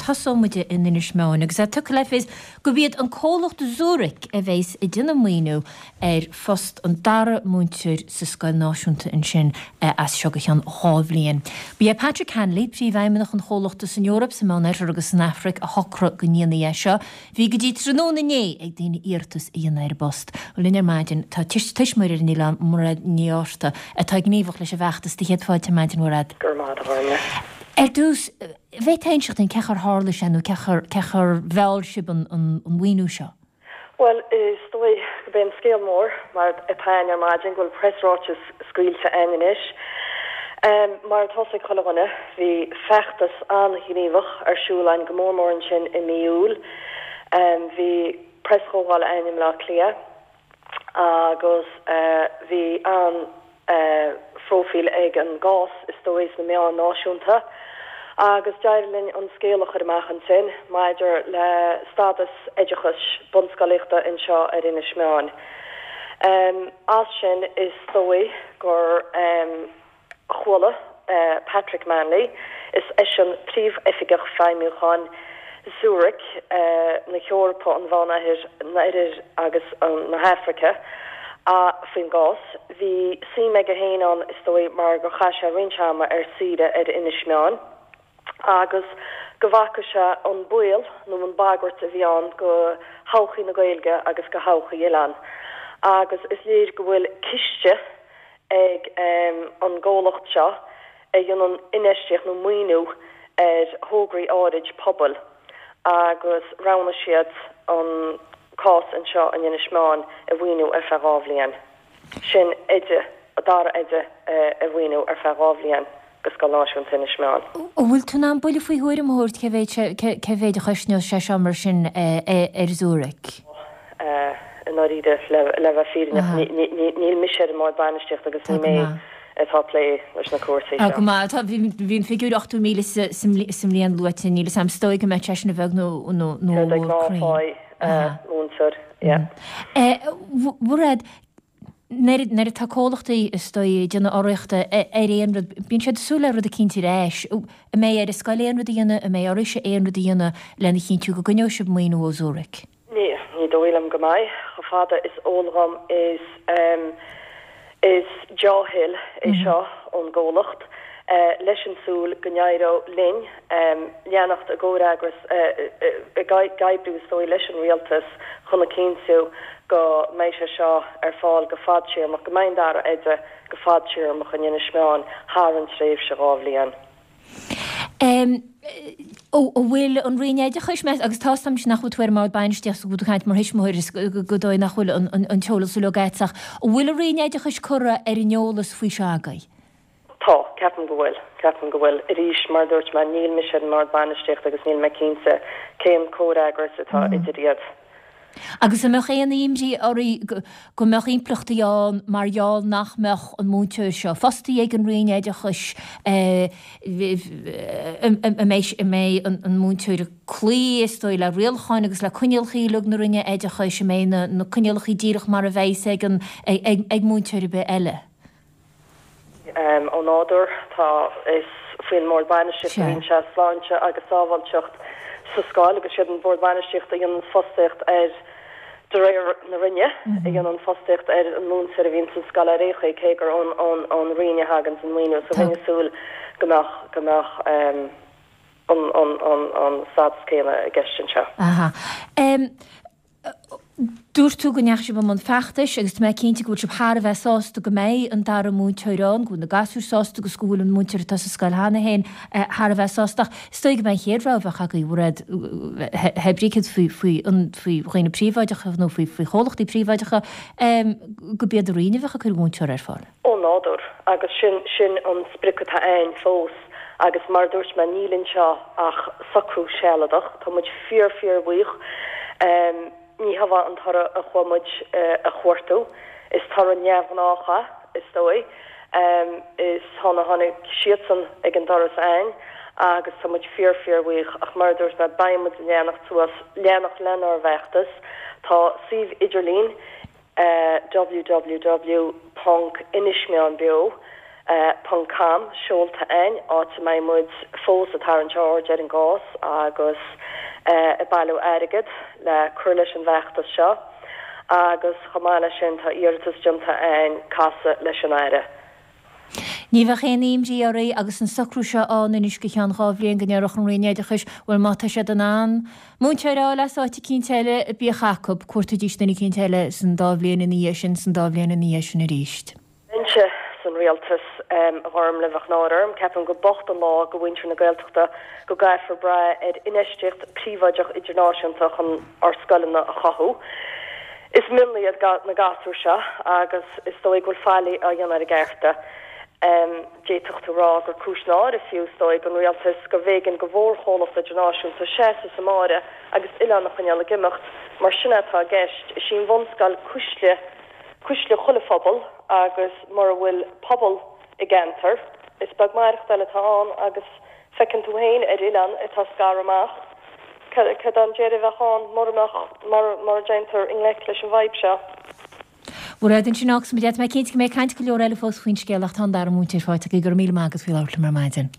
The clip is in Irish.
Tosóidh muid in Inis Meáin agus é tugtha le fios gurb iad an comhlacht Zurich a bheas ag déanamh maoiniú ar phost an dara múinteoir sa scoil náisiúnta ansin as seo go ceann 2 bhliain. Ba é Patrick Hanley, príomhfheidhmeannach an chomhlachta san Eoraip, sa Meánoirthear agus san Afraic a shocraigh go ndéanfaí é seo. Bhí go dtí tráthnóna inné ag daoine iarratas a dhéanamh ar an bpost. Linn ar maidin tá tuismitheoir ar an oileán, Mairéad Ní Fhátharta, atá gníomhach leis an bhfeachtas. Do chéad fáilte ar maidin, Mhairéad. Go raibh maith agat, a Ghormfhlaith. Ar dtús, an bhféadfá a inseacht dúinn cén chaoi ar tharla sé nó cén chaoi ar mheall sibh an mhaoiniú seo? Bhuel, is dóigh gurb é an scéal mór, mar atá a'inn ar maidin, go bhfuil preasráiteas scaoilte a'inn anois. Mar atá 'fhios ag chuile dhuine, bhí feachtas an-ghníomhach ar siúl a'inn, go mór mór ansin i mí Iúil. Bhí preaschomhdháil a'inn i mBleá Cliath agus bhí an. phróifíl ag an gcás, is dóigh, sna meáin náisiúnta agus d'éirigh linn an scéal a chur amach ansin maidir le stádas oideachais bunscolaíochta anseo ar Inis Meáin. As sin, is dóigh gur chuala Patrick Manley, is eisean Príomhoifigeach Feidhmiúcháin Zurich na hEorpa, an Mheánoirthir agus na hAfraice, faoin gcás. Bhí suim aige féin ann, is dóigh, mar gur chaith sé roinnt ama ar saoire ar Inis Meáin agus go bhfaca sé an baol nó an bhagairt a bhí ann go thodhchaí na Gaeilge agus go thodhchaí oileáin. Agus is léir go bhfuil ciste ag an gcomhlacht seo a dhéanann infheistíocht nó maoiniú ar thograí áirid pobail agus roghnaigh siad an cás anseo in Inis Meáin a mhaoiniú ar feadh 2 bhliain. Sin oide, dara oide a mhaoiniú ar feadh 2 bhliain go Scoil Náisiúnta Inis Meáin. An bhfuil tú in ann buille faoi thuairim a thabhairt cé mhéad cé mhéad a chosnós sé seo mar sin ar Zurich? I ndáiríre, le bheith fírinneach, níl mise ar an mbord bainistíochta agus ní mé atá ag plé leis na cúrsaí seo. Go maith. Bhí an figiúr 80,000 sa mbliain luaite, níl 'fhios a'm, is dóigh go mbeadh sé sin a bheag nó a mhór cruinn. Múinteoir, yeah. Mhairéad, nuair atá comhlachtaí, is dóigh, ag déanamh urraíochta ar aon rud, bíonn siad ag súil le rud eicínt ar ais. An mbeidh ar an scoil aon rud a dhéanamh, an mbeidh oraibhse aon rud a dhéanamh lena chinntiú go gcoinneoidh sibh maoiniú ó Zurich? Ní, ní dóigh liom go mbeidh. Chomh fada is eol dhom is, is dea-thoil é seo ón gcomhlacht, leis an tsúil go n-éireodh linn leanacht i gcomhfhreagras, ag oibriú is dóigh leis an rialtas chun a chinntiú go mbeidh sé seo ar fáil go fadtéarmach, go mbeidh an dara oide go fadtéarmach in Inis Meáin thar an tréimhse 2 bhliain. An bhfuil an Roinn Oideachais, meas, agus tá 'fhios a'm nach bhfuil tú ar an mbord bainistíochta, go bhfuil tú ag caint mar thuismitheoir is gur dóigh nach bhfuil an t-eolas uilig agat ach an bhfuil an Roinn Oideachais curtha ar an eolas faoi seo agaibh? Tá, ceapaim go bhfuil. Ceapaim go bhfuil. Arís, mar a dúirt mé, níl mise ar an mbord bainistíochta agus níl mé cinnte cén comhfhreagras atá idir iad. Agus an mbeadh aon imní oraibh go mbeadh impleachtaí ann mar gheall nach mbeadh an múinteoir seo fostaithe ag an Roinn Oideachais, an mbeidh an múinteoir ag cloí, is dóigh, le rialacháin agus le coinníollacha uilig na Roinne Oideachais, an mbeidh na coinníollacha díreach mar a bheas ag múinteoir ar bith eile? Ó nádúr, tá, is faoin mBord Bainistíochta a bhíonn sé, sláinte agus sábháilteacht sa scoil agus siad an Bord Bainistíochta a dhéanann fostaíocht ar, de réir na Roinne, a dhéanann fostaíocht ar an múinteoir a bhíonn sa scoil ar aon chaoi, cé gur ón Roinn a thagann an maoiniú. So bheinn ag súil go mbeadh, go mbeadh an stádas céanna i gceist anseo. Aha. Dúirt tú go ndeachaigh sibh i mbun feachtais agus tá mé cinnte go bhfuil sibh thar a bheith sásta go mbeidh an dara múinteoir ann, go bhfuil na gasúir sásta agus go bhfuil an múinteoir atá sa scoil cheana féin thar a bheith sásta. Ach is dóigh go mbeidh an chéad rogha a bheadh agaibh, a Mhairéad, hé brí céard faoi faoi dhaoine príobháideacha nó faoi chomhlachtaí príobháideacha, go b'iad an Roinn a bheadh ag cur múinteora ar fáil. Ó nádúr, agus sin, sin an sprioc atá a'inn fós agus mar a dúirt mé, níl anseo ach socrú sealadach. Tá muid fíor, fíor bhuíoch. Ní hé an toradh a chuaigh muid a chuartú. Is toradh neamhghnách é, is dóigh. Is tháinig, tháinig siadsan ag an doras a'inn agus tá muid fíor, fíor bhuíoch. Ach mar a dúirt mé, beidh muid ag leanacht suas, leanacht lenár bhfeachtas. Tá suíomh idirlín www ponc inismeáinbeo. Ponc com seolta a'inn, áit a mbeidh muid fós ag tarraingt aird ar an gcás agus ag bailiú airgead le cur leis an bhfeachtas seo agus chomh maith leis sin tá iarratas déanta a'inn casadh leis an Aire. Ní bheadh aon imní oraibh agus an socrú seo ann anois go ceann 2 bhliain go ndéarfadh an Roinn Oideachais, bhuel má tá siad in ann múinteoir a fháil as áit eicínt eile, bíodh acu, cuartaídís duine eicínt eile san dá bhliain ina dhiaidh sin, san dá bhliain ina dhiaidh sin arís. Bheinnse san rialtas, a Ghormlaith, bheadh náire orm. Ceapaim gur bocht an lá go mhuintir na Gaeltachta go gcaithfear brath ar infheistíocht príobháideach idirnáisiúnta chun ár scoileanna a chothú. Is mionlaigh iad na gasúir seo agus is dóigh go bhfuil faillí á dhéanamh ar a gcearta. D'fhéadfadh tú rá gur cúis náire fiú, is dóigh, don rialtas gurbh éigean go mhórchomhlacht idirnáisiúnta seasamh sa mbáire agus oileán a choinneáil ag imeacht, mar sin é atá i gceist. Is í an bhunscoil cuisle. Cuisle chuile phobal agus mura bhfuil pobal i gceantar, is beag maireachtáil atá ann agus feiceann tú féin ar oileán atá scartha amach cad é an deireadh a bheadh ann mura mbeadh, mura ndéantar i ngleic leis an bhfadhb seo. Mairéad, ansin fágfaidh muid é. Tá mé cinnte go mbeidh caint go leor eile fós faoin scéal ach tá an dara múinteoir faighte agaibh. Go raibh míle maith agat faoi labhairt liom ar maidin.